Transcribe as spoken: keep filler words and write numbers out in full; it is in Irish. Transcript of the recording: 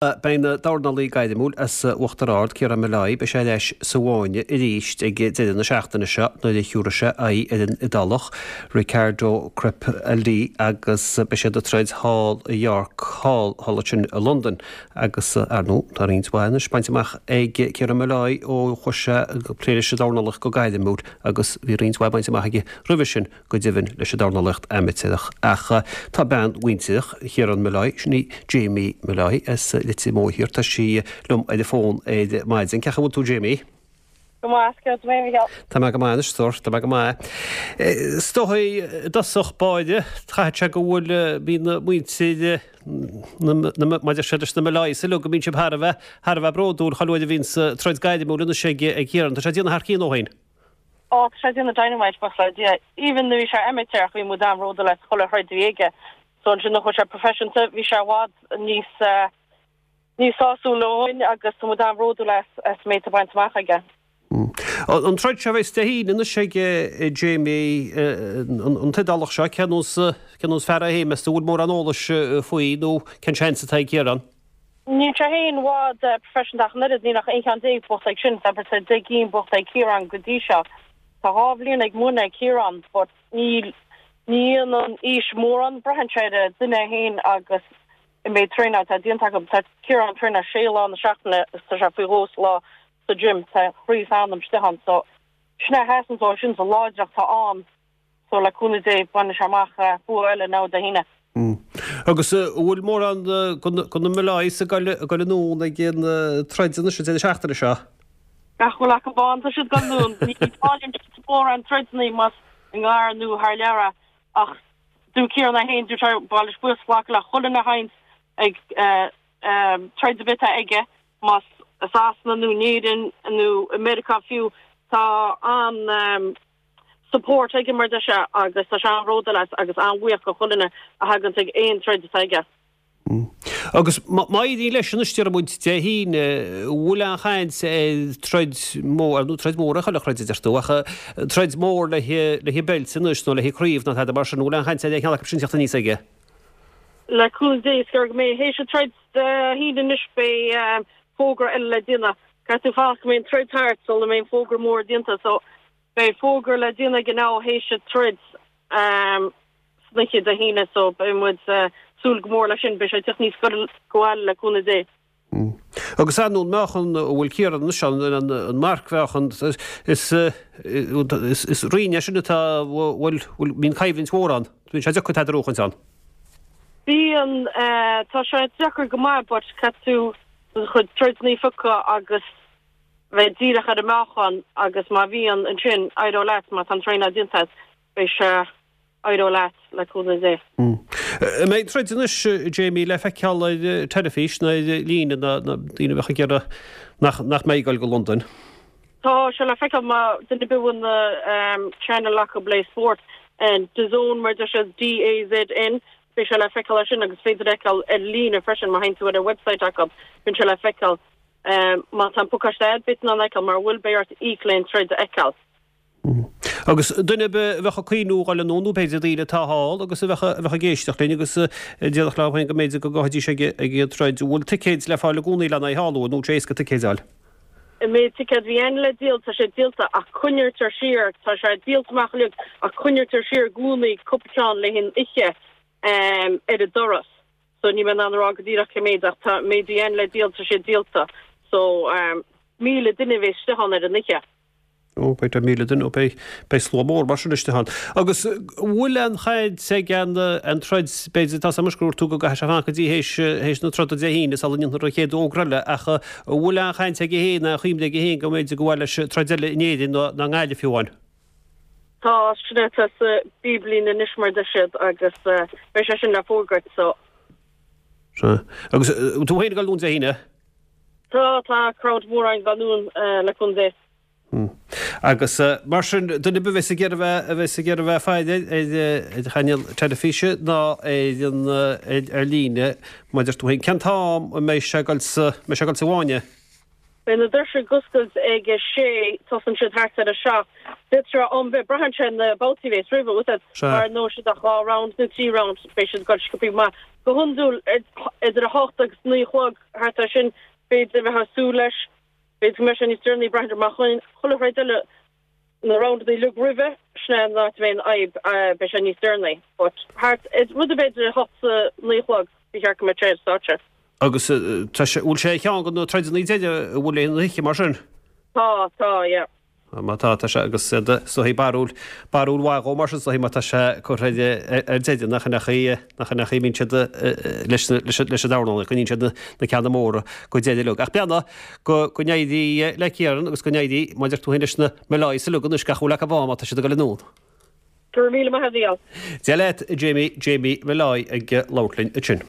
Beidh an dornálaí gairmiúil as Uachtar Ard, Ciarán Molloy, beidh sé ar ais sa bhfáinne arís ag deireadh na seachtaine seo nuair a thiúrfaidh sé aghaidh ar an Iodálach Riccardo Crepaldi agus beidh siad ag troid thall i York Hall, thall ansin i Londain. Agus ar ndóigh, tá roinnt mhaith anois bainte amach ag Ciarán Molloy ó chuaigh sé ag plé leis an dornálaíocht go gairmiúil agus bhí roinnt mhaith bainte amach aige roimhe sin go deimhin leis an dornálaíocht amaitéarach. Ach tá bean mhuintir Chiarán Molloy, sin í Jamie Molloy as Leitir Móir Thiar, tá sí liom ar an bhfón ar maidin. Cén chaoi a bhfuil tú Jamie? Go maith, céard mé Micheál. Tá mé go maith anois, stór, tá mé go maith. Is dóigh i dtosach báire, caithfidh sé go bhfuil bíonn muintir maidir sé leis na Molloys uilig go mbíonn sibh thar a bheith thar a bheith bródúil chuile uair a bhíonns troid gairmiúil anois ag ag Ciarán. Tá sé ag déanamh thar cionn ó shin. Ó, tá sé ag déanamh dynamite buíochas le Dia. Even nuair bhí sé amaitéarach bhí muid an-bhródúil as chuile throid a bhí aige. So ansin nuair a chuaigh sé proifisiúnta bhí sé i bhfad níos níos sásúla dhúinn agus tá muid an-bhródúil as as an méid atá bainte amach aige. An troid seo a bheas Dé hAoine anois ag Jamie, an tIodálach seo, cén nós cén nós fear é féin, meas tú an bhfuil mórán eolais faoi nó cén seans atá ag Ciarán? Níl sé féin i bhfad proifisiúnta ach an oiread, níl ach aon cheann déag buachta aige sin, abair tá deich gcinn buachta ag Ciarán go dtí seo. Tá dhá bhliain ag múineadh ag Ciarán but níl, ní dhéanann aois mórán, braitheann sé ar an duine é féin agus an méid traenáil atá déanta acu. Tá Ciarán ag traenáil sé lá na seachtaine agus tá sé faoi dhó sa lá sa gym, tá a chroí is a anam istigh ann so sin é a sheasann dó, sin sa láidreacht atá ann. So le cúnamh Dé bainfidh sé amach bua eile now Dé hAoine. Agus an bhfuil mórán de na Molloys ag dul anonn ag an troid anois an deireadh seachtaine seo? Gach a bhfuil acu ann tá siad ag dul anonn. Ní fhaigheann siad mórán troideanna más i ngar nó thar lear é ach dúirt Ciarán é féin, dúirt sé ba mhaith leis buíochas a ghlacadh le chuile dhuine a thaganns ag troid ar bith atá aige más i Sasana nó in Éirinn nó i Meiriceá fiú. Tá an support aige mar deir sé agus tá sé an-bhródúil as agus an-bhuíoch do chuile dhuine a thaganns ag aon troid atá aige. Agus má éiríonn leis anois déarfaidh muid Dé hAoine, an bhfuil aon chaint ar troid mór, ar ndóigh troid mhór é chuile throid a deir tú, ach troid mhór le haghaidh beilt anois nó le haghaidh craobh nó tada mar sin, an bhfuil aon chaint ar aon cheann acu sin teacht aníos aige? Le cúnamh Dé, is gearr go mbeidh théis an troid Dé hAoine anois beidh fógra eile le déanamh. Caithfidh tú fanacht go mbeidh an troid thart sula mbeidh an fógra mór déanta so Beidh fógra le déanamh aige now théis an troid san oíche Dé hAoine so beidh muid súil go mór leis sin. Beidh sé ag teacht aníos go abhaile le cúnamh Dé. Agus ar ndóigh an meáchan a bhfuil Ciarán anois ann, an marcmheáchan, is is roinn é sin atá bhfuil bíonn coimhlint mhór ann. Bíonn sé deacair tada a bhuachaint ann. Bíonn, tá sé deacair go maith but caithfidh tú do chuid troideanna a phiocadh agus bheith díreach ar an meáchan agus má bhíonn, ansin éireoidh leat, má tá an traenáil déanta agat, beidh sé, éireoidh leat, le cúnamh Dé. An mbeidh an troid anois, Jamie, le feiceáil ar teilifís nó ar líne na daoine a bheadh ag iarraidh nach nach mbeidh ag dul go Londain? Tá sé le feiceáil má duine ar bith a bhfuil na channel acu le spórt, DAZN mar deir siad, D-A-Z-N, beidh sé le feiceáil ar sin agus féidir a fheiceáil ar líne freisin má théann tú ar an website acu, bíonn sé le feiceáil. Má tá an pacáiste agat, beidh tú in ann a fheiceáil, mura bhfuil, beidh ort íoc le an troid a fheiceáil. Agus duine ar bith a bheadh ag cuimhniú dhul anonn, nó b'fhéidir daoine atá thall agus a bheadh a bheadh ag éisteacht linn agus a déarfadh leo féin go mb'fhéidir go gabhfaidís ag ag an troid, an bhfuil ticéid le fáil i gcónaí lena aghaidh thall, nó an bhfuil sé éasca ticéid a fháil? An méid ticéad a bhí ann le díol, tá sé díolta ach coinnítear siar, tá sé díolta amach uilig ach coinnítear siar i gcónaí cúpla ceann le haghaidh an oíche ar an doras. So níl mé in ann a rá go díreach cé méid ach tá an méid a bhí ann le díol tá sé díolta. So míle duine a bheas istigh ann ar an oíche. Ó beidh tá míle duine, ó beidh beidh slua mór mar sin istigh ann. Agus an bhfuil aon chaint ag an an troid b'fhéidir tá a fhios agam anois gur dúirt tú go gcaithfidh sé fanacht go dtí théis théis na troda Dé hAoine sula ndéanfar an chéad fhógra eile ach an bhfuil aon chaint aige féin aon chuimhne aige féin go mb'fhéidir go mhaith leis troid eile in Éirinn nó nó i nGaillimh fiú amháin? Tá sin atá sa bpipeline anois mar deir siad agus beidh sé sin le fógairt so. Sea. Agus tú féin ag dul anonn Dé hAoine? Tá, tá crowd mór againn ag dul anonn le cúnamh Dé. Agus mar sin, duine ar bith a bheas ag iarraidh bheith, a bheas ag iarraidh bheith ag faire ar ar chainéal teilifíse ná ar an ar líne, mar deir tú féin, cén t-am a mbeidh sé ag dul sa, mbeidh sé ag dul sa bhfáinne? Beidh na doirse ag oscailt ag a sé, tosaíonn siad thart ar a seacht. D'fhéadfadh sé am bheith, braitheann sé ar na babhtaí a bheas roimhe, bhfuil fhios a'd, mar gnóthóidh siad ach dhá round nó trí round, beidh siad ag dul sciobthaí maith. Go hiondúil, idir a hocht agus naoi a chlog, thart ar sin, b'fhéidir a bheifeá ag súil leis. B'fhéidir go mbeidh sé níos deireanaí, braitheann ar mar chuile throid eile, na roundanna uilig roimhe, sin é an áit a mbeidh an fhadhb, beidh sé níos deireanaí. But thart, rud ar bith idir a hocht 's a naoi a chlog, ba cheart go mbeadh sé ar stáitse. Agus tá sé, bhfuil sé ar cheann de na troideanna deiridh a bhfuil ar an oíche mar sin? Tá, tá, yeah. Má tá, tá sé agus is dóichí barúil, barúil mhaith dhó mar sin is dóichí má tá sé curtha ar, ar deireadh nach in é nach in é a mbíonn siad leis, leis, leis an dornálaíocht, coinníonn siad na, na ceanna móra go deireadh uilig. Ach beannacht go, go n-éirí le Ciarán agus go n-éirí, mar a deir tú féin leis na Molloys uilig anois gach a bhfuil acu ann má tá siad ag dul anonn. Go raibh míle maith agat, a Mhícheáil. Dia leat, Jamie, Jamie Molloy ag labhairt linn ansin.